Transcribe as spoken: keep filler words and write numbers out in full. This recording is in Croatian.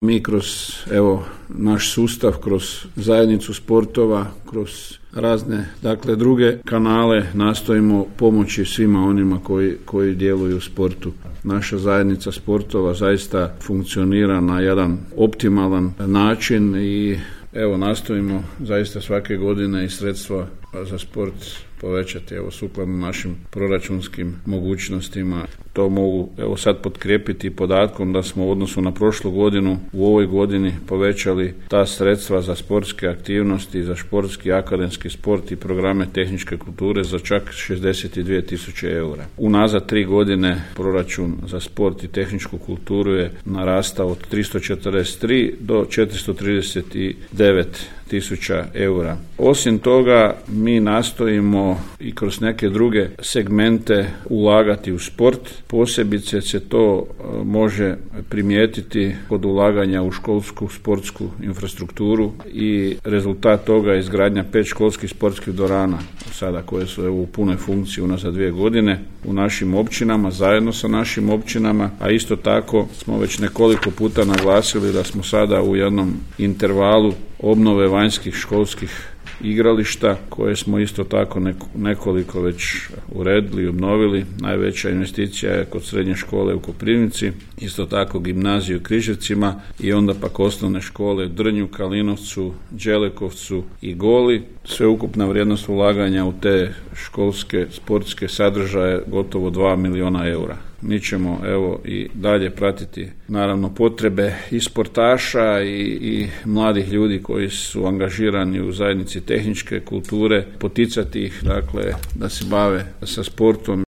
Mi kroz evo naš sustav, kroz zajednicu sportova, kroz razne dakle druge kanale nastojimo pomoći svima onima koji, koji djeluju u sportu. Naša zajednica sportova zaista funkcionira na jedan optimalan način i evo nastojimo zaista svake godine i sredstva za sport povećati evo sukladno našim proračunskim mogućnostima. To mogu evo sad potkrijepiti podatkom da smo u odnosu na prošlu godinu u ovoj godini povećali ta sredstva za sportske aktivnosti, za športski akademski sport i programe tehničke kulture za čak šezdeset dvije tisuće eura. Unazad tri godine proračun za sport i tehničku kulturu je narastao od tristo četrdeset tri do četiristo trideset devet tisuća eura. Osim toga, mi nastojimo i kroz neke druge segmente ulagati u sport. Posebice se to može primijetiti kod ulaganja u školsku sportsku infrastrukturu i rezultat toga je izgradnja pet školskih sportskih dvorana sada koje su evo u punoj funkciji unazad dvije godine u našim općinama, zajedno sa našim općinama, a isto tako smo već nekoliko puta naglasili da smo sada u jednom intervalu obnove vanjskih školskih igrališta koje smo isto tako nekoliko već uredili i obnovili. Najveća investicija je kod srednje škole u Koprivnici, isto tako gimnaziju u Križevcima i onda pak osnovne škole u Drnju, Kalinovcu, Đelekovcu i Goli. Sveukupna vrijednost ulaganja u te školske sportske sadržaje gotovo dva milijuna eura. Mi ćemo evo i dalje pratiti naravno potrebe i sportaša i, i mladih ljudi koji su angažirani u zajednici tehničke kulture, poticati ih dakle da se bave sa sportom.